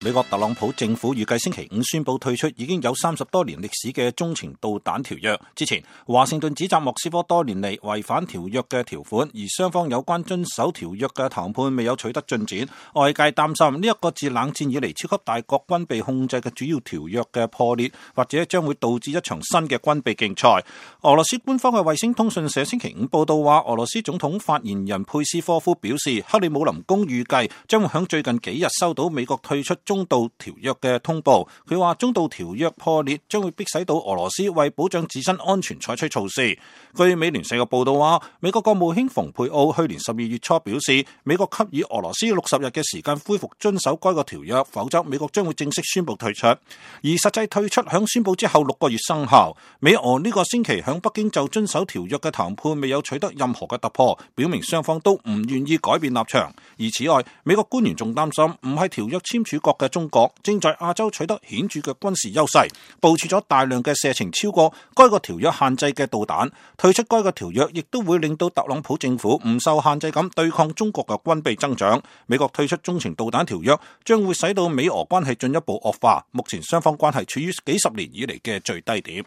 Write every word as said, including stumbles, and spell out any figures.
美國特朗普政府預計星期五宣布退出已經有三十多年歷史嘅中程導彈條約。之前，華盛頓指責莫斯科多年嚟違反條約嘅條款，而雙方有關遵守條約嘅談判未有取得進展。外界擔心呢一個自冷戰以嚟超級大國軍備控制嘅主要條約嘅破裂，或者將會導致一場新嘅軍備競賽。俄羅斯官方嘅衛星通訊社星期五報道話，俄羅斯總統發言人佩斯科夫表示，克里姆林宮預計將會喺最近幾日收到美國退出中導條約嘅通報。佢話中導條約破裂將會迫使到俄羅斯為保障自身安全採取措施。據美聯社嘅報道話，美國國務卿蓬佩奧去年十二月初表示，美國給予俄羅斯六十日嘅時間恢復遵守該個條約，否則美國將會正式宣布退出。而實際退出響宣布之後六個月生效。美俄呢個星期響北京就遵守條約嘅談判未有取得任何嘅突破，表明雙方都唔願意改變立場。而此外，美國官員仲擔心唔係條約簽署國嘅中國正在亞洲取得顯著嘅軍事優勢，部署咗大量嘅射程超過該個條約限制嘅導彈。退出該個條約亦都會令到特朗普政府唔受限制咁對抗中國嘅軍備增長。美國退出中程導彈條約將會使到美俄關係進一步惡化，目前雙方關係處於幾十年以嚟嘅最低點。